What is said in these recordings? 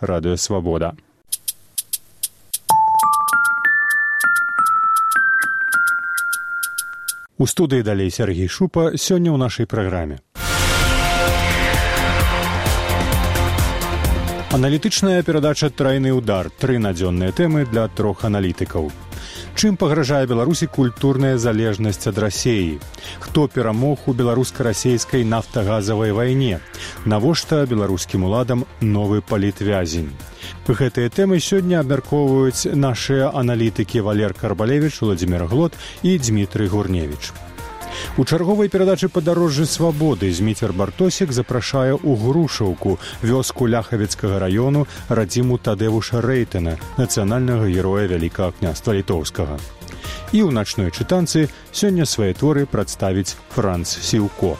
Радыё Свабода. У студыі далей Сергей Шупа сёння ў нашай праграме. Аналітычная перадача «Трайны ўдар». 3 надзённыя тэмы для 3 аналітыкаў. Чым пагражае Беларусі культурная залежнасць ад Расіі? Хто перамог у беларуска-расейскай нафтагазавай вайне? Навошта беларускім уладам новы палітвязень? Гэтыя тэмы сёння абмяркоўваюць нашыя аналітыкі Валер Карбалевіч, Владзімир Глот і Дмітрый Гурневіч. У чарговай перадачы «Падарожжы свабоды» Зміцер Бартосік запрашае ў Грушаўку, вёску Ляхавіцкага раёну, радзіму Тадэвуша Рэйтана, нацыянальнага героя Вялікага княства Літоўскага. І ў начной чытанцы сёння свае творы прадставіць Франц Сіўко.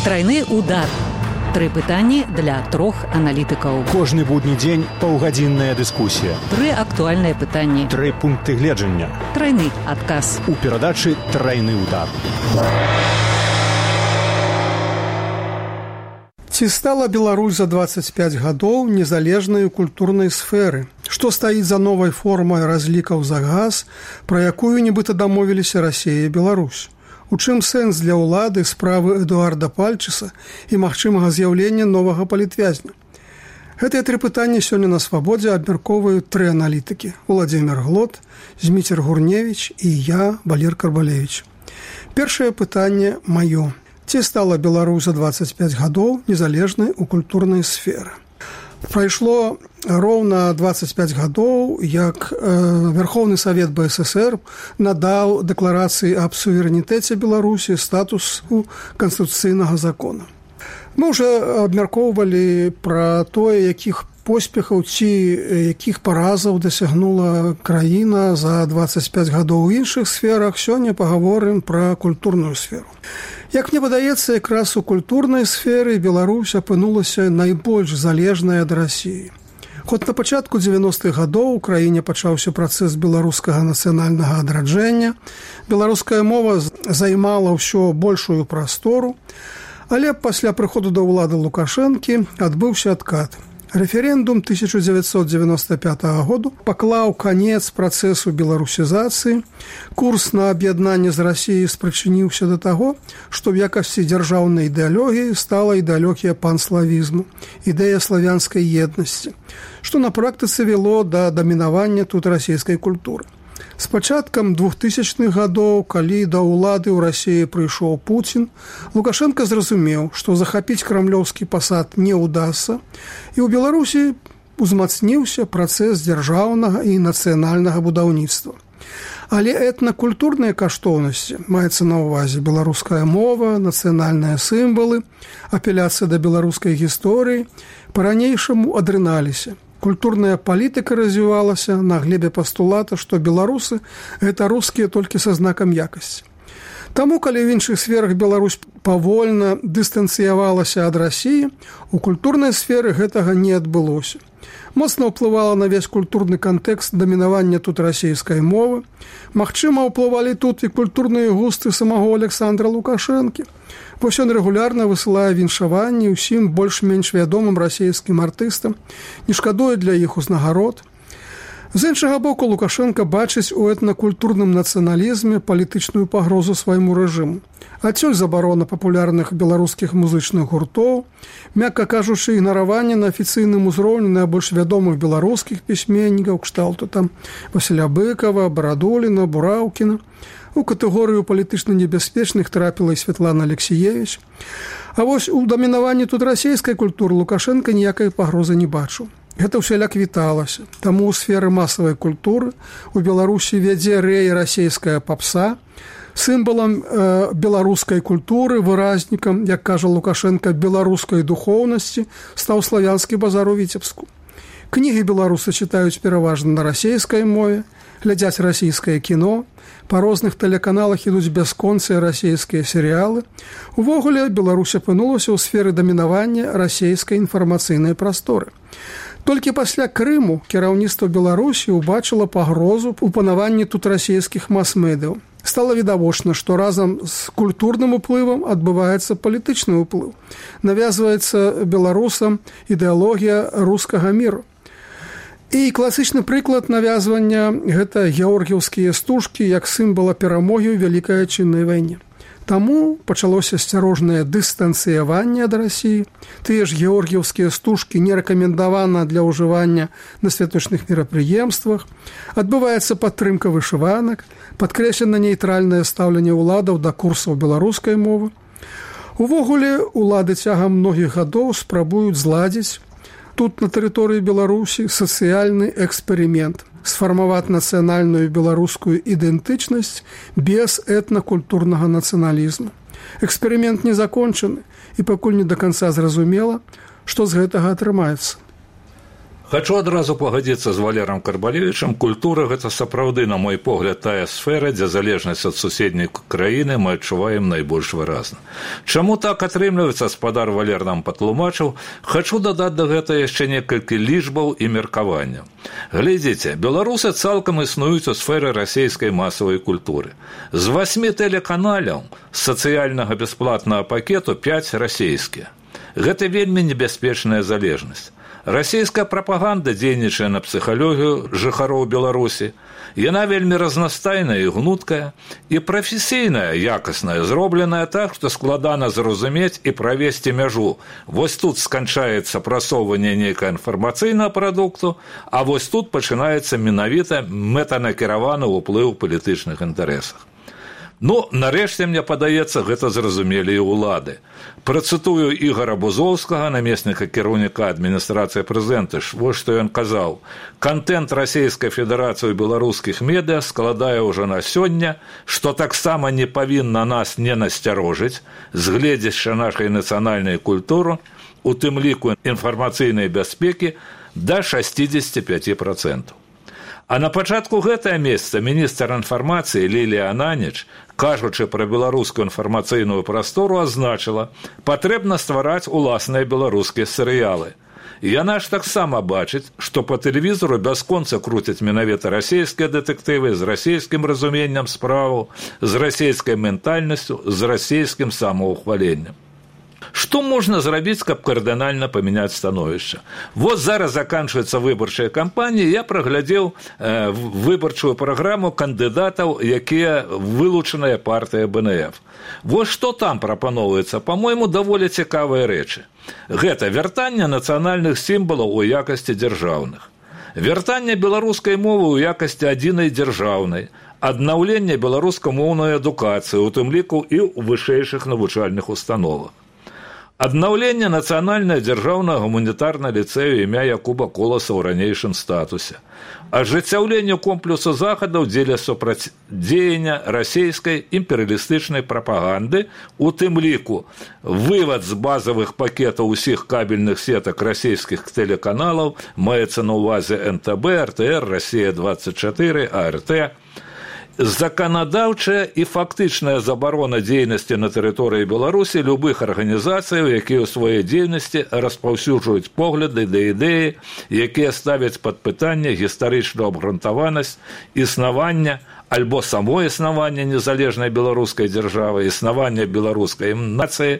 Трайны удар. 3 пытанні для 3 аналітыкаў. Кожны будні дзень паўгадзінная дыскусія. 3 актуальныя пытанні. 3 пункты гледжання. Трайны адказ. У перадачы «Трайны удар». Ці стала Беларусь за 25 гадоў незалежнай у культурнай сферы? Што стаіць за новай формай разлікаў за газ, пра якую нібыта дамовіліся Расія і Беларусь? У чым сэнс для ўлады справы Эдуарда Пальчыса і магчымага з'яўлення новага палітвязня? Гэтыя 3 пытанні сёння на Свабодзе абмяркоўваюць 3 аналітыкі: Владзімир Глот, Зміцер Гурневіч і я, Валер Карбалевіч. Першае пытанне маё. Ці стала Беларусь за 25 гадоў незалежнай у культурнай сферы? Прайшло роўна 25 гадоў, як Верховны Савет БССР надаў дэкларацыі аб суверэнітэце Беларусі статусу канстытуцыйнага закона. Мы ўжо абмяркоўвалі пра тое, якіх поспехаў ці якіх паразаў дасягнула краіна за 25 гадоў у іншых сферах. Сёння пагаворым пра культурную сферу. Як мне падаецца, якраз у культурнай сферы Беларусь апынулася найбольш залежнай ад Расіі. Хоць на пачатку 90-х гадоў у краіне пачаўся працэс беларускага нацыянальнага адраджэння, беларуская мова займала ўсё большую прастору, але пасля прыходу да ўлады Лукашэнкі адбыўся адкат. Рэферэндум 1995 году паклаў канец працэсу беларусізацыі. Курс на аб'яднанне з Расіяй спрычыніўся да таго, што ў якасці дзяржаўнай ідэалогіі стала ідэалогія панславізму, ідэя славянскай еднасці, што на практыцы вяло да дамінавання тут расійскай культуры. З пачаткам 2000-х гадоў, калі да ўлады ў Расіі прыйшоў Пуцін, Лукашенко зразумеў, што захапіць крамлёўскі пасад не ўдасца, і ў Беларусі узмацніўся працэс дзяржаўнага і нацыянальнага будаўніцтва. Але этнакультурныя каштоўнасці, маецца на ўвазе беларуская мова, нацыянальныя сімвалы, апеляцыя да беларускай гісторыі, па-ранейшаму адрыналіся. Культурная палітыка развівалася на глебе пастулата, што беларусы – гэта рускія толькі са знакам якасці. Таму, калі ў іншых сферах Беларусь павольна дыстанцыявалася ад Расіі, у культурнай сферы гэтага не адбылося. Моцна ўплывала на весь культурны кантэкст дамінавання тут расійскай мовы. Магчыма, ўплывалі тут і культурныя густы самого Александра Лукашэнкі. Вось ён рэгулярна высылае віншаванні ўсім больш-менш вядомым расійскім артыстам, не шкадуе для іх узнагарод. З іншага боку, Лукашенко бачыць у этнакультурным нацыяналізме палітычную пагрозу свайму рэжыму. Адсюль забарона папулярных беларускіх музычных гуртоў, мякка кажучы, ігнараванне на афіцыйным узроўні найбольш вядомых беларускіх пісьменнікаў, кшталту там Васіля Быкова, Барадуліна, Бураўкіна. У катэгорыю палітычна небяспечных трапіла і Святлана Алексіевіч. А вось у дамінаванні тут расійскай культуры Лукашенко ніякай пагрозы не бачыў. Гэта ўсяляк віталася. Таму ў сферы масавай культуры у Беларусі вядзе рэй расійская папса. Сімвалам беларускай культуры, выразнікам, як кажа Лукашенко, беларускай духоўнасці стаў славянскі базар у Віцебску. Кнігі беларусы чытаюць пераважна на расійскай мове, глядзяць расійскае кіно, па розных тэлеканалах ідуць бясконцыя расійскія серыялы. Увогуле, Беларусь апынулася ў сферы дамінавання расійскай інфармацыйнай прасторы. Толькі пасля Крыму кіраўніцтва Беларусі ўбачыла пагрозу ў панаванні тут расійскіх мас-медыяў. Стала відавочна, што разам з культурным уплывам адбываецца палітычны ўплыў. Навязваецца беларусам ідэалогія рускага міру. І класічны прыклад навязвання – гэта георгіўскія стужкі як сімвала перамогі ў Вялікай Адчыннай вайне. Таму пачалося асцярожнае дыстанцыяванне ад Расіі. Тыя ж георгіўскія стужкі не рэкамендавана для ўжывання на святочных мерапрыемствах. Адбываецца падтрымка вышыванак, падкрэслена нейтральнае стаўленне ўладаў да курсаў беларускай мовы. Увогуле, улады цягам многіх гадоў спрабуюць зладзіць тут на тэрыторыі Беларусі сацыяльны эксперымент, сфармаваць нацыянальную беларускую ідэнтычнасць без этнакультурнага нацыяналізму. Эксперымент не закончаны, і пакуль не да канца зразумела, што з гэтага атрымаецца. Хачу адразу пагадзіцца з Валерам Карбалевічам. Культура – гэта сапраўды, на мой погляд, тая сфера, дзе залежнасць ад суседняй краіны мы адчуваем найбольш выразна. Чаму так атрымліваецца, спадар Валер нам патлумачыў. Хачу дадаць да гэта яшчэ некалькі лічбаў і меркаванняў. Глядзіце, беларусы цалкам існуюць у сферы расійскай масавай культуры. З 8 тэлеканалаў з сацыяльнага бясплатнага пакету 5 расійскія. Гэта вельмі небяспечная залежнасць. Расійская прапаганда дзейнічае на псіхалогію жыхароў Беларусі. Яна вельмі разнастайная і гнуткая, і прафесійная, якасная, зробленая так, што складана зразумець і правесці мяжу. Вось тут сканчаецца прасоўванне нейкага інфармацыйнага прадукту, а вось тут пачынаецца менавіта мэтанакіраваны ўплыў у палітычных інтарэсах. Ну, нарэшце, мне падаецца, гэта зразумелі і ўлады. Працытую Ігора Бузоўскага, намесніка кіраўніка адміністрацыі прэзідэнта, вось што ён казаў. Кантэнт Расійскай Федэрацыі ў беларускіх медыа складае ўжо на сёння, што таксама не павінна нас не насцярожыць, згледзячы нашай нацыянальнай культуры, у тым ліку інфармацыйнай бяспекі, да 65%. А на пачатку гэтага месяца міністр інфармацыі Лілія Ананіч, кажучы пра беларускую інфармацыйную прастору, азначыла, патрэбна ствараць уласныя беларускія серыялы. Яна ж таксама бачыць, што па тэлевізору бясконца круцяць менавіта расійскія дэтэктывы з расійскім разуменнем справаў, з расійскай ментальнасцю, з расійскім самаўхваленнем. Што можна зрабіць, каб кардынальна памяняць становішча? Вот зараз заканчваецца выбарчая кампанія, я праглядзеў выбарчую праграму кандыдатаў, якія вылучаныя партыя БНФ. Вот што там прапаноўваецца, па-мойму, даволі цікавыя рэчы. Гэта вяртанне нацыянальных сімвалаў у якасці дзяржаўных, вяртанне беларускай мовы ў якасці адзінай дзяржаўнай, аднаўленне беларускамоўнай адукацыі, у тым ліку і ў вышэйшых навучальных установах. Аднаўленне нацыянальнага дзяржаўнага гуманітарнага ліцэю імя Якуба Коласа ў ранейшым статусе. Ажыццяўленне комплексу захадаў дзеля супрацьдзеяння расійскай імперыялістычнай прапаганды, у тым ліку вывад з базавых пакетаў усіх кабельных сетак расійскіх тэлеканалаў, маецца на ўвазе НТБ, РТР, Расія-24, АРТ, заканадаўчая і фактычная забарона дзейнасці на тэрыторыі Беларусі любых арганізацыяў, якія ў сваёй дзейнасці распаўсюджваюць погляды да ідэі, якія ставяць пад пытанне гістарычную абгрунтаванасць існавання альбо само існавання незалежнай беларускай дзяржавы, існавання беларускай нацыі,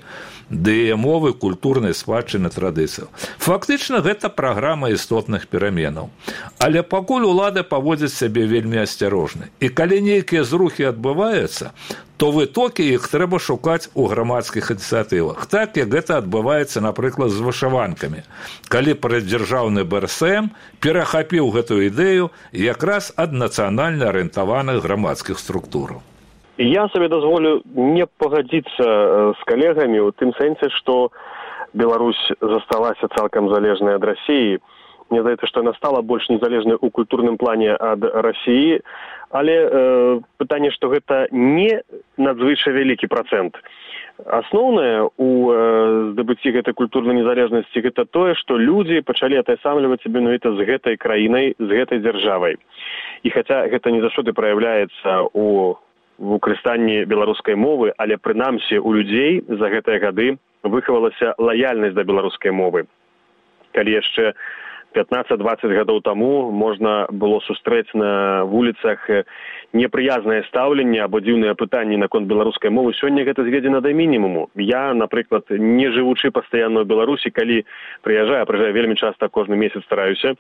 ды яе мовы, культурнай спадчыны, традыцыяў. Фактычна, гэта праграма істотных пераменаў. Але пакуль улады паводзяць сябе вельмі асцярожна. І калі нейкія зрухі адбываюцца, то вытокі іх трэба шукаць у грамадскіх ініцыятывах. Так, як гэта адбываецца, напрыклад, з вышыванкамі. Калі прадзяржаўны БРСМ перахапіў гэтую ідэю якраз ад нацыянальна арыентаваных грамадскіх структураў. Я сабе дазволю не пагадзіцца з калегамі ў тым сэнсе, што Беларусь засталася цалкам залежнай ад Расіі. Мне здаецца, што яна стала больш незалежнай у культурным плане ад Расіі, але пытанне, што гэта не надзвычай вялікі працэнт. Асноўнае ў здабыцці гэтай культурнай незалежнасці гэта тое, што людзі пачалі атайсамліваць сябе менавіта з гэтай краінай, з гэтай дзяржавай. І хаця гэта не заўсёды праяўляецца у выкарыстанні беларускай мовы, але прынамсі у людзей за гэтыя гады выхавалася лаяльнасць да беларускай мовы. Калі яшчэ 15-20 гадоў таму можна было сустрэць на вуліцах непрыязнае стаўленне або дзіўныя пытанні наконт беларускай мовы, сёння гэта зведзена да мінімуму. Я, напрыклад, не жывучы пастаянна ў Беларусі, калі прыязджаю вельмі часта, кожны месяц стараюся,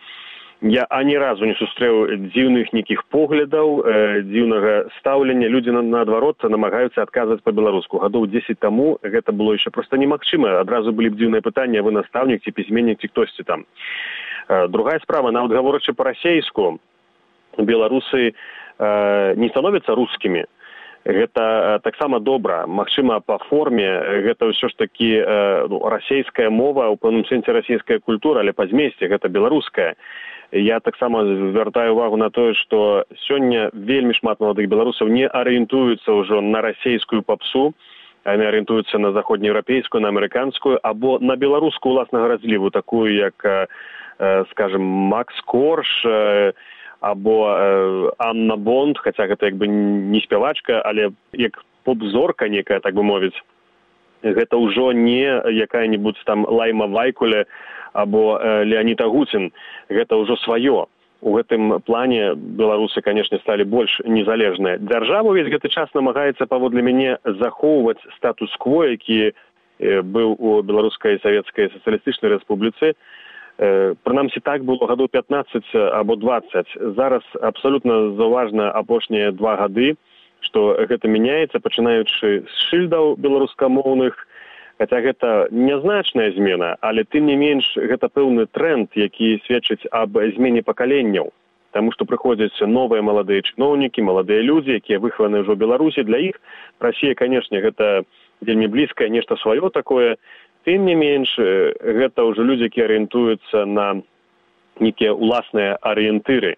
я ані разу не сустрэў дзіўных нейкіх поглядаў, дзіўнага стаўлення. Людзі, наадварот, намагаюцца адказваць па-беларуску. Гадоў 10 таму гэта было яшчэ проста немагчыма. Адразу былі б дзіўныя пытанні, а вы настаўнік ці пісьменнік ці хтосьці там. Другая справа, нават гаворачы па-расейску, беларусы не становяцца рускімі. Гэта таксама добра. Магчыма, па форме гэта ўсё ж такі расейская мова, у пэўным сэнсе расійская культура, але па змесце гэта беларуская. Я таксама звяртаю увагу на тое, што сёння вельмі шмат маладых беларусаў не арыентуюцца ўжо на расейскую папсу, яны арыентуюцца на заходнееўрапейскую, на амерыканскую, або на беларускую ўласнага разліву, такую як, скажем, Макс Корж, або Анна Бонд, хаця гэта як бы не спявачка, але як поп-зорка некая, так бы мовіць. Гэта ўжо не якая-небудзь там Лайма Вайкуле або Леонід Агутін. Гэта ўжо сваё. У гэтым плане беларусы, канешне, сталі больш незалежныя. Дзяржава ўвесь гэты час намагаецца, паводле мяне, захоўваць статус-кво, які быў у Беларускай Савецкай Сацыялістычнай Рэспубліцы. Прынамсі, так было гадоў 15 або 20. Зараз абсалютна заўважна апошнія 2 гады, што гэта мяняецца, пачынаючы з шыльдаў беларускамоўных, хаця гэта нязначная змена, але тым не менш гэта пэўны тренд, які сведчыць аб змене пакаленняў. Таму што прыходзяць новыя маладыя чыноўнікі, маладыя людзі, якія выхаваны ўжо ў Беларусі. Для іх Расія, канешне, гэта вельмі блізкае нешта сваё такое. Тым не менш, гэта ўжо людзі, якія арыентуюцца на нейкія ўласныя арыентыры.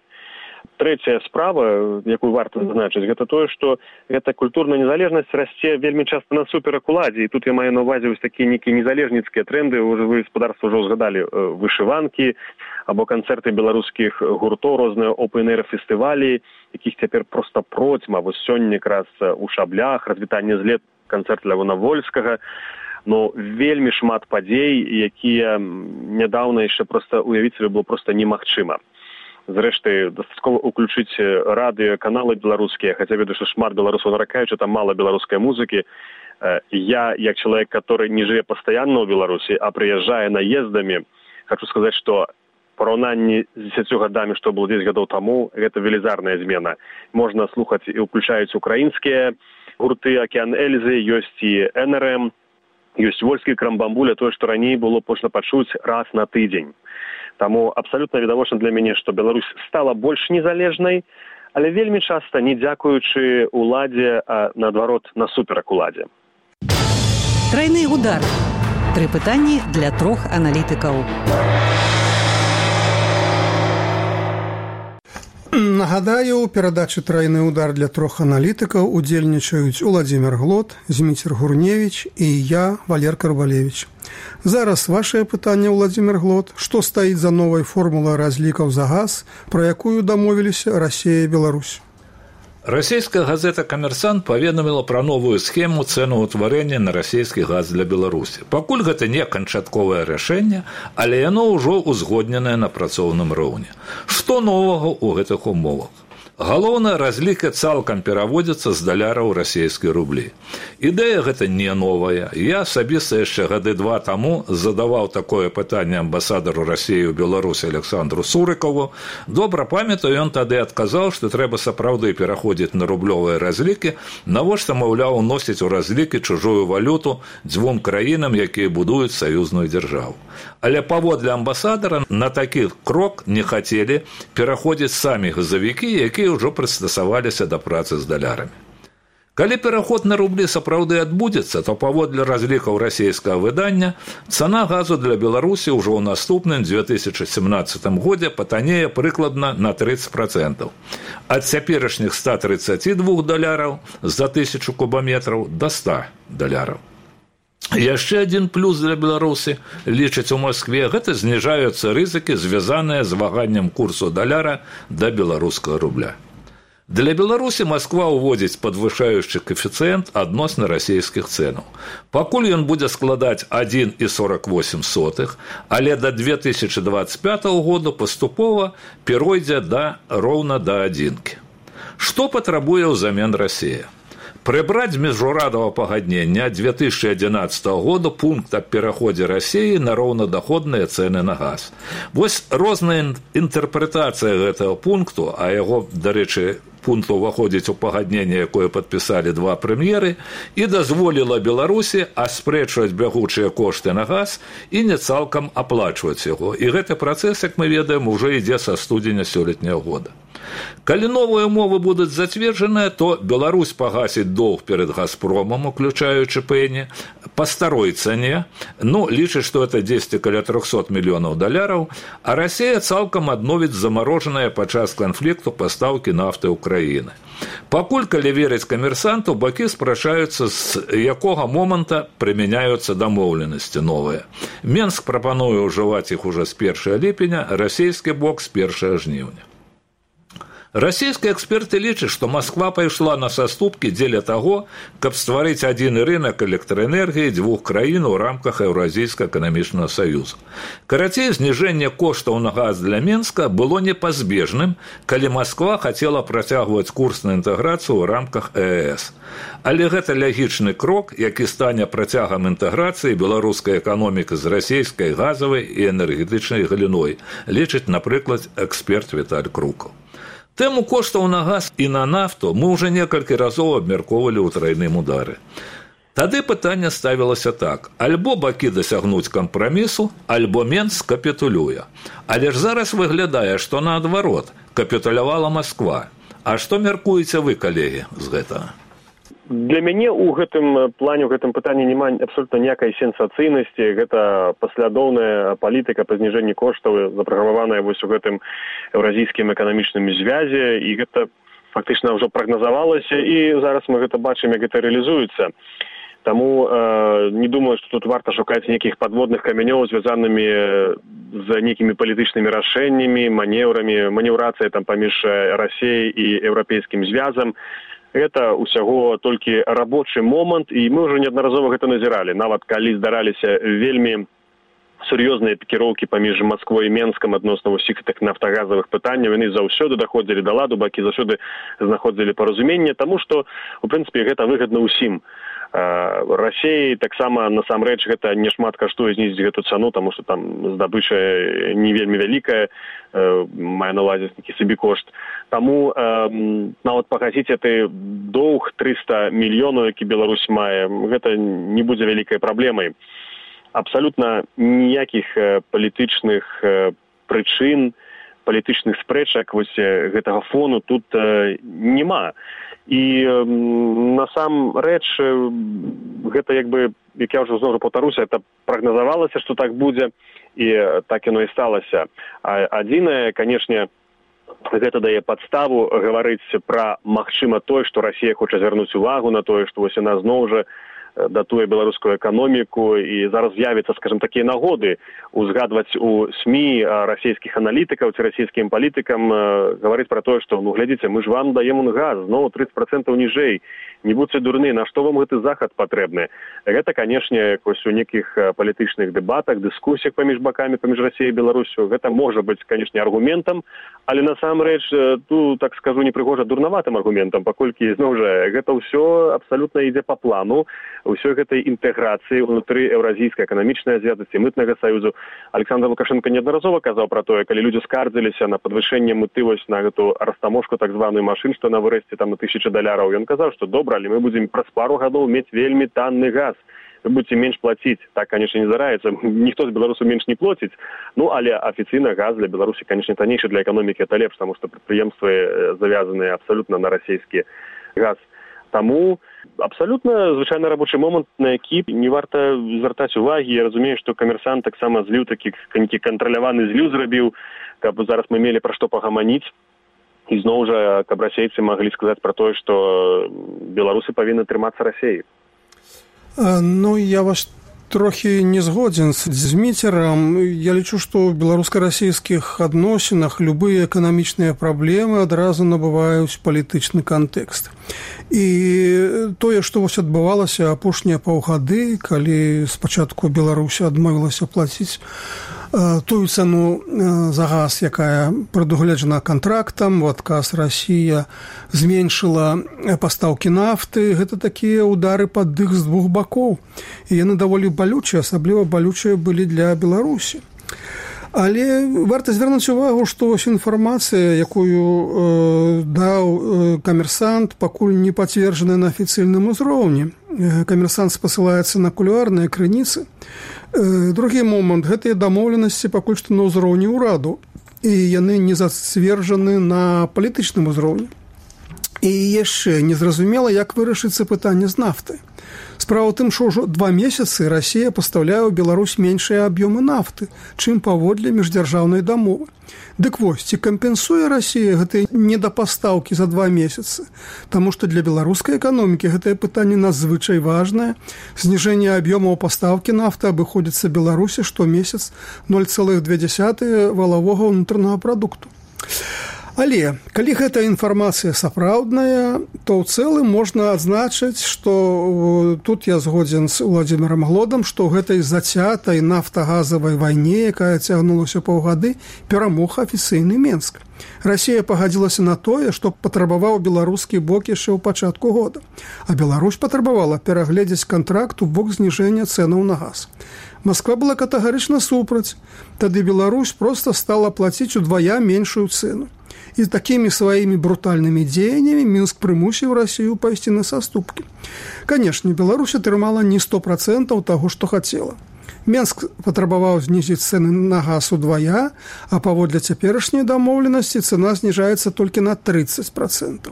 Трэцяя справа, якую варта зазначыць, гэта тое, што гэта культурная незалежнасць расце вельмі часта насуперак уладзе. І тут я маю на ўвазе вось такія нейкія незалежніцкія тренды. Вы гаспадарства ўжо згадалі вышыванкі або канцэрты беларускіх гуртоў, розныя опен-эйр-фестывалі, якіх цяпер проста процьма. Вось сёння якраз у Шаблях, развітанне з лет, канцэрт Лявона Вольскага. Ну, вельмі шмат падзей, якія нядаўна яшчэ проста уявіць сабе было проста немагчыма. Зрэшты, дастаткова ўключыць радыёканалы беларускія, хаця ведаю, што шмат беларусаў наракаюць, што там мала беларускай музыкі. Я, як чалавек, который не жыве пастаянна ў Беларусі, а прыязджае наездамі, хочу сказаць, што параўнанні з 10 гадамі, што было 10 гадоў таму, гэта велізарная змена. Можна слухаць і ўключаюць украінскія гурты «Акеан Эльзы», ёсць і НРМ, ёсць вольскі крамбамбуля, тое, што раней было можна пачуць раз на тыдзень. Таму абсалютна відавочна для мяне, што Беларусь стала больш незалежнай, але вельмі часта не дзякуючы уладзе, а наадварот насуперак уладзе. Трайны удар. 3 пытанні для 3 аналітыкаў. Нагадаю, у перадачы «Трайны удар» для 3 аналітыкаў удзельнічаюць Уладзімір Глот, Зміцер Гурневіч і я, Валер Карбалевіч. Зараз вашее пытанне, Уладзімір Глот. Што стаіць за новай формулай разлікаў за газ, пра якую дамовіліся Расія і Беларусь? Расійская газета «Камерсант» паведаміла пра новую схему цэнаўтварэння на расійскі газ для Беларусі. Пакуль гэта не канчатковае рашэнне, але яно ўжо ўзгодненае на працоўным роўні. Што новага ў гэтых умовах? Галоўная разліка цалкам пераводзіцца з даляра ў расійскія рублі. Ідэя гэта не новая. Я асабіста яшчэ гады 2 таму задаваў такое пытанне амбасадару Расіі ў Беларусі Александру Сурыкаву. Добра памятаю, ён тады адказаў, што трэба сапраўды пераходзіць на рублёвыя разлікі, навошта, маўляў, уносіць у разлікі чужую валюту 2 краінам, якія будуюць саюзную дзяржаву. Але паводле амбасадара на такі крок не хацелі пераходзіць самі газавікі, якія ўжо прыстасаваліся да працы з далярамі. Калі пераход на рублі сапраўды адбудзецца, то паводле разлікаў расійскага выдання цана газу для Беларусі ўжо ў наступным 2017 годзе патанее прыкладна на 30%. Ад цяперашніх $132 за 1000 кубаметраў да $100. Яшчэ адзін плюс для Беларусі, лічаць у Маскве, гэта зніжаюцца рызыкі, звязаныя з ваганнем курсу даляра да беларускага рубля. Для Беларусі Масква ўводзіць падвышаючы каэфіцыент адносна расійскіх цэнаў. Пакуль ён будзе складаць 1,48, але да 2025 году паступова перайдзе роўна да адзінкі. Што патрабуе ўзамен Расія? Прыбраць з міжнароднага пагаднення 2011 года пункт аб пераходзе Расіі на роўнадаходныя цэны на газ. Вось розная інтэрпрэтацыя гэтага пункту, а яго, дарэчы, пункт уваходзіць у пагадненне, якое падпісалі два прэм'еры, і дазволіла Беларусі аспрэчваць бягучыя кошты на газ і не цалкам аплачваць яго. І гэты працэс, як мы ведаем, ужо ідзе са студзеня сёлетняга года. Калі новыя умовы будуць зацверджаныя, то Беларусь пагасіць доўг перад Газпромом, уключаючы пэні, па старой цане, лічыць, што это 10 каля 300 мільёнаў даляраў, а Расія цалкам адновіць замарожаныя падчас канфлікту пастаўкі нафты ўкраіны. Пакуль, калі верыць камерсанту, бакі спрачаюцца, з якога моманта прымяняюцца дамоўленасці новыя. Менск прапануе ўжываць іх ужо з 1 ліпеня, расійскі бок з 1 жніўня. Расійскія эксперты лічаць, што Масква пайшла на саступкі дзеля таго, каб стварыць адзіны рынак электраэнергіі дзвюх краін у рамках Еўразійскага эканамічнага саюза. Карацей, зніжэнне коштаў на газ для Менска было непазбежным, калі Масква хацела працягваць курс на інтэграцыю ў рамках ЕС. Але гэта лягічны крок, які стане працягам інтэграцыі беларускай эканомікі з расійскай газавай і энергетычнай галіной, лічыць, напрыклад, эксперт Віталь Крукаў. Тэму коштаў на газ і на нафту мы ўжо некалькі разоў абмяркоўвалі ў трайным удары. Тады пытанне ставілася так: альбо бакі дасягнуць кампрамісу, альбо Менск капітулюе. Але ж зараз выглядае, што наадварот, капітулявала Масква. А што мяркуеце вы, калегі, з гэтага? Для мяне ў гэтым плане, ў гэтым пытанні няма абсолютна ніякай сенсацыйнасці. Гэта паслядоўная палітыка па зніжэнні коштаў, запраграмаваная вось у гэтым еўразійскім эканамічным звязе, і гэта фактычна ўжо прагназавалася, і зараз мы гэта бачым, як гэта рэалізуецца. Таму не думаю, што тут варта шукаць нейкіх падводных камянёў, звязанымі з нейкімі палітычнымі рашэннямі, манеўрамі, манеўрацыя там паміж Расіяй і еўрапейскім звязам. Гэта ўсяго толькі рабочы момант, і мы ўжо неаднаразова гэта назіралі. Нават калі здараліся вельмі сур'ёзныя пікіроўкі паміж Масквой і Менскам адносна ўсіх тых нафтагазавых пытанняў, яны заўсёды даходзілі да ладу, бакі заўсёды знаходзілі паразуменне, таму што, у прынцыпе, гэта выгадна ўсім. Расіі таксама насамрэч гэта не шмат каштуе знізіць гэту цану, таму што там здабыча не вельмі вялікая, мае на ўвазе нейкі сабекошт. Таму нават пагасіць гэты доўг 300 мільёнаў, які Беларусь мае, гэта не будзе вялікай праблемай. Абсалютна ніякіх палітычных прычын, палітычных спрэчак вось гэтага фону тут няма. І насамрэч гэта як я ўжо зноў паўтаруся, это прагназавалася, што так будзе, і так яно і сталася. Адзінае, канешне, гэта дае падставу гаварыць пра магчыма тое, што Расія хоча звярнуць увагу на тое, што вось яна зноў жа датуе беларускую эканоміку, і зараз з'явіцца, скажем, такія нагоды узгадваць у СМІ расійскіх аналітыкаў ці расійскім палітыкам, гаварыць пра тое, што, глядзіце, мы ж вам даем газ, зноў 30% ніжэй, не будьце дурны, на што вам гэты захад патрэбны? Гэта, канешне, у нейкіх палітычных дэбатах, дыскусіях паміж бакамі, паміж Расіяй і Беларусю, гэта можа быць, канешне, аргументам, але насамрэч, тут, так скажу, непрыгожа дурнаватым аргументам, паколькі, зноў жа, гэта ўсё абсалютна ідзе па плану, ўсёй гэтай інтэграцыі ўнутры еўразійскай эканамічнай звязасці, мытнага саюзу. Александр Лукашенко неаднаразова казаў пра тое, калі людзі скардзіліся на падвышэнне мыты вось на гэту растаможку так званую машын, што на вырасце там на $1000. Ён казаў, што добра, але мы будзем праз пару гадоў мець вельмі танны газ. Вы будзеце менш плаціць. Так, канешне, не здараецца. Ніхто з беларусаў менш не плоціць. Але афіцыйна газ для Беларусі, канешне, таннейшы для эканомікі, это лепш, таму што прадпрыемствы завязаныя абсалютна на расійскі газ. Таму абсалютна звычайны рабочы момант, на які не варта звяртаць увагі. Я разумею, што камерсант таксама зліў такі кантраляваны зліў зрабіў, каб зараз мы мелі пра што пагаманіць. І зноў жа, каб расейцы маглі сказаць пра тое, што беларусы павінны трымацца Расіі. Я вас трохі не згоден з Зміцерам. Я лічу, што ў беларуска-расійскіх адносінах любыя эканамічныя праблемы адразу набываюць палітычны кантэкст. І тое, што вось адбывалася апошнія паўгады, калі спачатку Беларусь адмовілася плаціць тую цану за газ, якая прадугледжана кантрактам, у адказ Расія зменшыла пастаўкі нафты. Гэта такія ўдары пад дых з двух бакоў. І яны даволі балючыя, асабліва балючыя былі для Беларусі. Але варта звярнуць увагу, што ось інфармацыя, якую даў камерсант, пакуль не пацверджаная на афіцыйным узроўні. Камерсант спасылаецца на кулуарныя крыніцы. Другі момант, гэтыя дамоўленасці пакуль што на ўзроўні ўраду, і яны не зацверджаны на палітычным узроўні. І яшчэ незразумела, як вырашыцца пытанне з нафты. Справа ў тым, што ўжо 2 месяцы Расія пастаўляе ў Беларусь меншыя аб'ёмы нафты, чым паводле міждзяржаўнай дамовы. Дык вось, ці кампенсуе Расія гэтыя недапастаўкі за 2 месяцы? Таму што для беларускай эканомікі гэтае пытанне надзвычай важнае. Зніжэнне аб'ёмаў пастаўкі нафты абыходзіцца Беларусі штомесяц 0,2 валавога ўнутранага прадукту. Але, калі гэтая інфармацыя сапраўдная, то ў цэлым можна адзначыць, што тут я згодзен з Владзімірам Глодам, што ў гэтай зацятай нафтагазавай вайне, якая цягнулася паўгады, перамог афіцыйны Менск. Расія пагадзілася на тое, што патрабаваў беларускі бок яшчэ ў пачатку года, а Беларусь патрабавала перагледзець кантракт у бок зніжэння цэнаў на газ. Масква была катэгарычна супраць, тады Беларусь проста стала плаціць удвая меншую цэну. І такімі сваімі брутальнымі дзеяннямі Мінск прымусіў Расію пайсці на саступкі. Канешне, Беларусь атрымала не 100% таго, што хацела. Мінск патрабаваў знізіць цэны на газ удвая, а паводле цяперашняй дамоўленасці цэна зніжаецца толькі на 30%.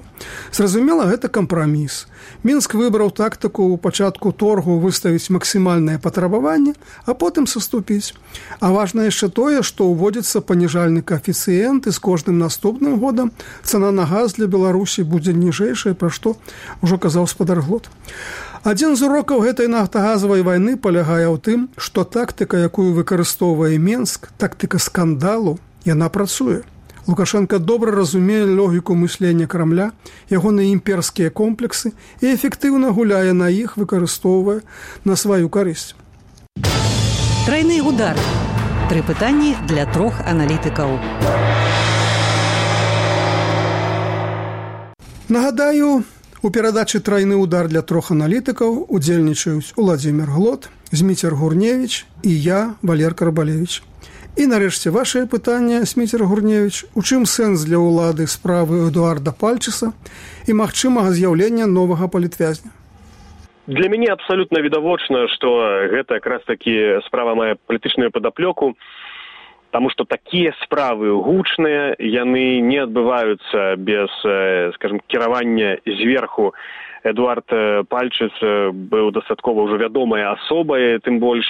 Зразумела, гэта кампраміс. Мінск выбраў тактыку ў пачатку торгу выставіць максімальнае патрабаванне, а потым саступіць. А важна яшчэ тое, што ўводзіцца паніжальны каэфіцыент, і з кожным наступным годам цана на газ для Беларусі будзе ніжэйшая, пра што ўжо казаў спадар Глод. Адзін з урокаў гэтай нафтагазавай вайны палягае ў тым, што тактыка, якую выкарыстоўвае Менск, тактыка скандалу, яна працуе. Лукашенко добра разумее логіку мыслення Крамля, ягоныя імперскія комплексы і эфектыўна гуляе на іх, выкарыстоўвае на сваю карысць. Трайны удар. 3 пытанні для 3 аналітыкаў. Нагадаю, у перадачы «Трайны удар» для 3 аналітыкаў удзельнічаюць Владзімір Глод, Зміцер Гурневіч і я, Валер Карбалевіч. І нарэшце вашае пытанне, Зміцер Гурневіч, у чым сэнс для ўлады справы Эдуарда Пальчыса і магчымага з'яўлення новага палітвязня? Для мяне абсалютна відавочна, што гэта якраз такі справа мае палітычную падаплёку, таму што такія справы гучныя, яны не адбываюцца без, скажем, кіравання зверху. Эдуард Пальчыц быў дастаткова ўжо вядомай асобай, тым больш.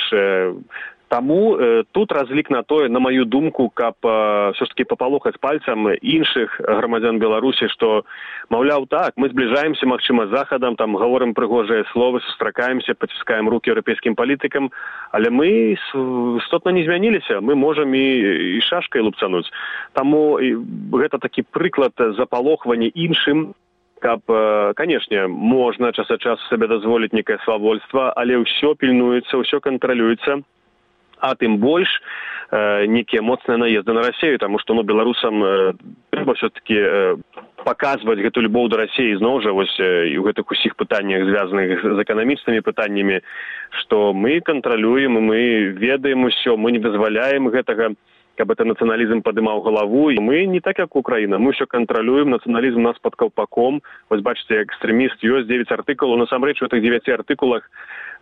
Таму тут разлік на тое, на маю думку, каб ўсё ж такі папалохаць пальцам іншых грамадзян Беларусі, што, маўляў, так, мы збліжаемся, магчыма, з Захадам, там гаворым прыгожыя словы, сустракаемся, паціскаем рукі еўрапейскім палітыкам, але мы істотна не змяніліся, мы можам і шашкай лупцануць. Таму гэта такі прыклад запалохвання іншым, каб, канешне, можна час ад часу сабе дазволіць некае свавольства, але ўсё пільнуецца, ўсё кантралюецца. А тым больш некія моцныя наезды на Расію, таму што беларусам трэба ўсё-такі паказваць гэту любоў да Расіі зноў жа вось і ў гэтых усіх пытаннях, звязаных з эканамічнымі пытаннямі, што мы кантралюем, мы ведаем усё, мы не дазваляем гэтага, каб это нацыяналізм падымаў галаву. І мы не так, як Украіна, мы ўсё кантралюем, нацыяналізм у нас пад каўпаком. Вось бачыце, экстрэміст ёсць 9 артыкулаў, насамрэч у гэтых 9 артыкулах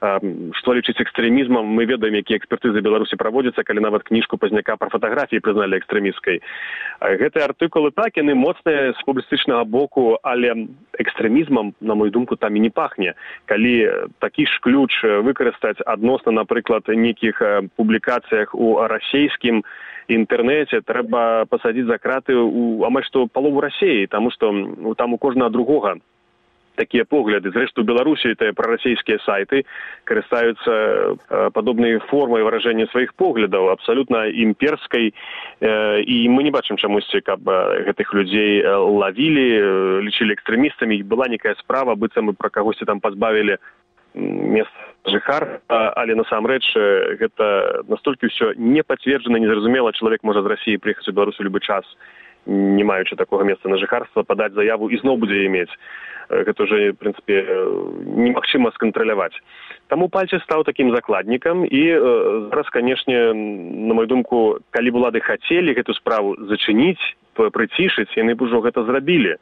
што лічыць экстрэмізмам, мы ведаем, якія экспертызы Беларусі праводзяцца, калі нават кніжку Пазняка пра фатаграфіі прызналі экстрэмісткай. Гэтыя артыкулы так, яны моцныя з публістычнага боку, але экстрэмізмам, на мою думку, там і не пахне. Калі такі ж ключ выкарыстаць адносна, напрыклад, нейкіх публікацыях у расійскім інтэрнэце, трэба пасадзіць за краты амаль што палову Расіі, таму што там у кожнага другога такія погляды. Зрэшты, у Беларусі тыя прарасійскія сайты карыстаюцца падобнай формай выражэння сваіх поглядаў, абсалютна імперскай, і мы не бачым чамусьці, каб гэтых людзей лавілі, лічылі экстрэмістамі, была некая справа, быццам мы пра кагосьці там пазбавілі месца жыхарства, але насамрэч гэта настолькі ўсё не пацверджана, незразумела, чалавек можа з Расіі прыехаць у Беларусі ў любы час, не маючы такога месца на жыхарства, падаць заяву і зноў будзе мець. Гэта ўжо, в прынцыпе, немагчыма скантраляваць. Таму Пальчыс стаў такім закладнікам, і зараз, канешне, на мою думку, калі б улады хацелі гэту справу зачыніць, прыцішыць, яны б ужо гэта зрабілі.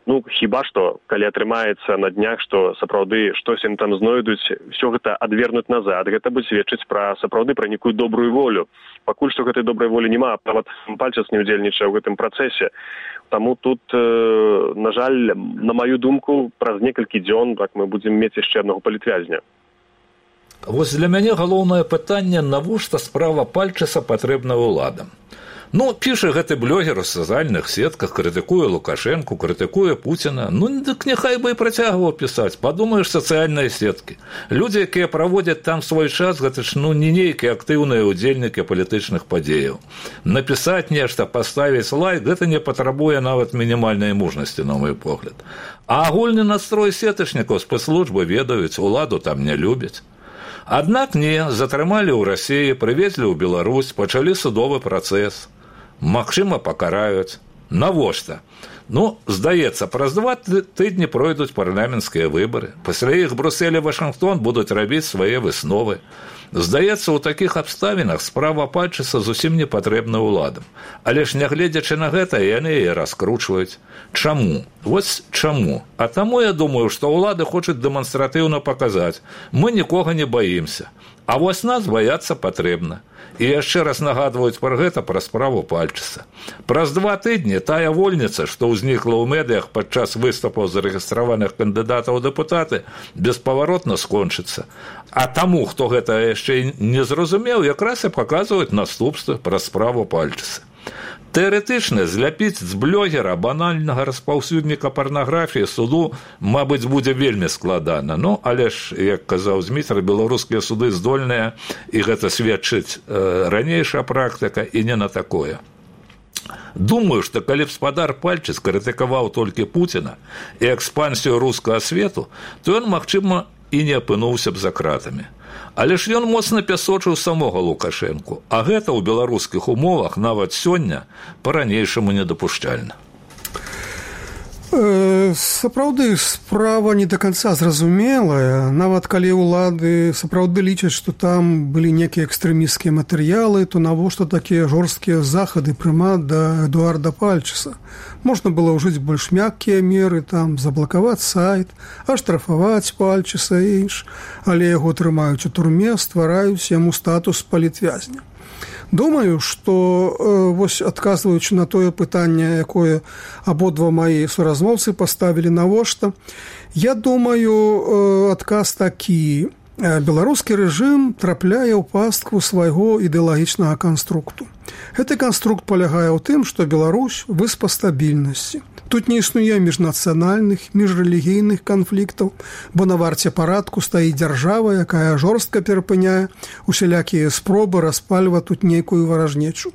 Ну, хіба што, калі атрымаецца на днях, што сапраўды штось ім там знойдуць, все гэта адвернуць назад, гэта будзе сведчыць пра сапраўды пра нейкую добрую волю. Пакуль што гэтай добрай волі няма, нават Пальчыс не ўдзельнічае ў гэтым працэсе. Таму тут, на жаль, на маю думку, праз некалькі дзён так мы будзем мець яшчэ аднаго палітвязня. Вось для мяне галоўнае пытанне, навошта справа Пальчыса патрэбна ўладам. Ну, піша гэты блогер у сацыяльных сетках, крытыкуе Лукашэнку, крытыкуе Пуціна. Ну, дык няхай бы і працягваў пісаць. Падумаеш, сацыяльныя сеткі. Людзі, якія праводзяць там свой час, гэта ж не нейкія актыўныя ўдзельнікі палітычных падзеяў. Напісаць нешта, паставіць лайк, гэта не патрабуе нават мінімальнай мужнасці, на мой погляд. А агульны настрой сетачнікаў спецслужбы ведаюць, уладу там не любяць. Аднак не, затрымалі ў Расіі, прывезлі ў Беларусь, пачалі судовы працэс. Магчыма, пакараюць. Навошта? Ну, здаецца, праз 2 тыдні пройдуць парламенцкія выбары. Пасля іх Брюссель і Вашынгтон будуць рабіць свае высновы. Здаецца, у такіх абставінах справа Пальчыса зусім не патрэбна ўладам. Але ж, нягледзячы на гэта, яны яе раскручваюць. Чаму? Вось чаму? А таму я думаю, што ўлады хочуць дэманстратыўна паказаць. Мы нікога не баімся. А вось нас баяцца патрэбна. І яшчэ раз нагадваюць пра гэта, пра справу Пальчыса. Праз 2 тыдні тая вольніца, што ўзнікла ў медыях падчас выступаў зарэгістраваных кандыдатаў у дэпутаты, беспаваротна скончыцца. А таму, хто гэта яшчэ не зразумеў, якраз і паказваюць наступствы пра справу Пальчыса. Тэарэтычна зляпіць з блогера банальнага распаўсюдніка парнаграфіі суду, мабыць, будзе вельмі складана. Ну, але ж, як казаў Зміцер, беларускія суды здольныя, і гэта сведчыць ранейшая практыка, і не на такое. Думаю, што калі б спадар Пальчыс крытыкаваў толькі Пуціна і экспансію рускага свету, то ён, магчыма, і не апынуўся б за кратамі. Але ж ён моцна пясочыў самога Лукашэнку, а гэта ў беларускіх умовах нават сёння па-ранейшаму недапушчальна. Сапраўды, справа не да канца зразумелая. Нават калі ўлады сапраўды лічаць, што там былі некія экстрэмісцкія матэрыялы, то навошта такія жорсткія захады прымаць да Эдуарда Пальчыса? Можна было ўжыць больш мяккія меры, там, заблакаваць сайт, аштрафаваць Пальчыса і інш, але яго трымаюць у турме, ствараюць яму статус палітвязня. Думаю, што вось адказваючы на тое пытанне, якое абодва маі суразмоўцы паставілі навошта, я думаю, адказ такі. Беларускі рэжым трапляе ў пастку свайго ідэалагічнага канструкту. Гэты канструкт палягае ў тым, што Беларусь выспа стабільнасці. Тут не існуе міжнацыянальных, міжрэлігійных канфліктаў, бо на варце парадку стаіць дзяржава, якая жорстка перапыняе усялякія спробы распальваць тут нейкую варажнечу.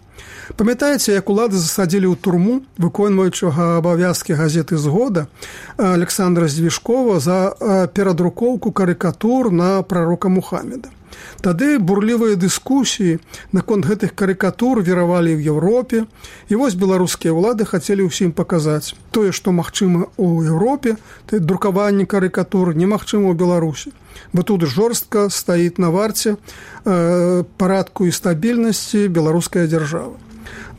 Памятаеце, як улады засадзілі ў турму выконваючага абавязкі газеты «Згода» Александра Звішкова за перадрукоўку карыкатур на прарока Мухаммеда. Тады бурлівыя дыскусіі наконт гэтых карыкатур віравалі ў Еўропе, і вось беларускія ўлады хацелі ўсім паказаць. Тое, што магчыма ў Еўропе, друкаванне карыкатур немагчыма ў Беларусі, бо тут жорстка стаіць на варце парадку і стабільнасці беларуская дзяржава.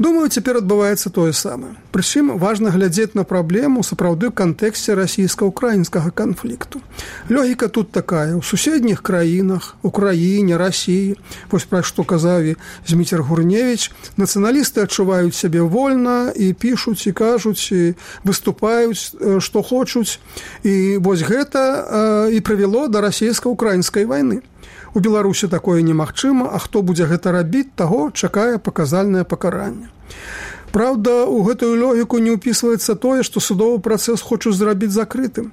Думаю, цяпер адбываецца тое самае. Прычым важна глядзець на праблему сапраўды ў кантэксце расійска-украінскага канфлікту. Логіка тут такая. У суседніх краінах, Украіне, Расіі, вось пра што казаў Зміцер Гурневіч, нацыяналісты адчуваюць сябе вольна і пішуць, і кажуць, і выступаюць, што хочуць. І вось гэта і прывяло да расійска-украінскай вайны. У Беларусі такое немагчыма, а хто будзе гэта рабіць, таго чакае паказальнае пакаранне. Праўда, у гэтую логіку не ўпісваецца тое, што судовы працэс хочуць зрабіць закрытым.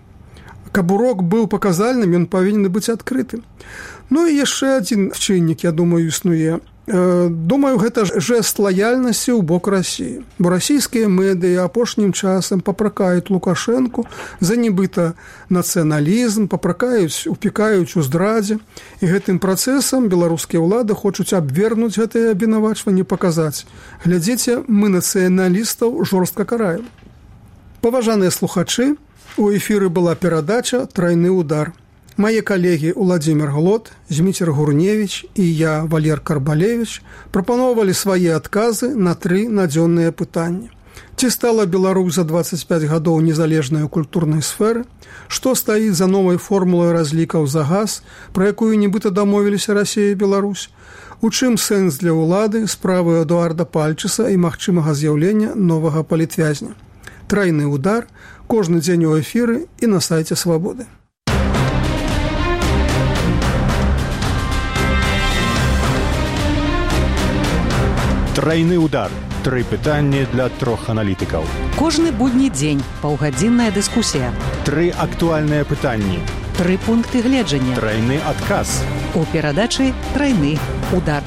Каб урок быў паказальным, ён павінен быць адкрытым. Ну і яшчэ адзін чыннік, я думаю, існуе. Думаю, гэта жэст лаяльнасці ў бок Расіі. Бо расійскія медыі апошнім часам папракаюць Лукашэнку за нібыта нацыяналізм, упікаюць у здрадзе. І гэтым працэсам беларускія ўлады хочуць абвернуць гэтыя абвінавачванні, паказаць. Глядзіце, мы нацыяналістаў жорстка караем. Паважаныя слухачы, у эфіры была перадача «Трайны удар». Мае калегі Уладзімір Глот, Зміцер Гурневіч і я, Валер Карбалевіч, прапаноўвалі свае адказы на 3 надзённыя пытанні. Ці стала Беларусь за 25 гадоў незалежнай культурнай сферы? Што стаіць за новай формулай разлікаў за газ, пра якую нібыта дамовіліся Расія і Беларусь? У чым сэнс для ўлады справы Эдуарда Пальчыса і магчымага з'яўлення новага палітвязня? Трайны удар кожны дзень у эфіры і на сайце Свабоды. Трайны удар. 3 пытанні для 3 аналітыкаў. Кожны будні дзень паўгадзінная дыскусія. 3 актуальныя пытанні. 3 пункты гледжання. Трайны адказ. У перадачы «Трайны удар».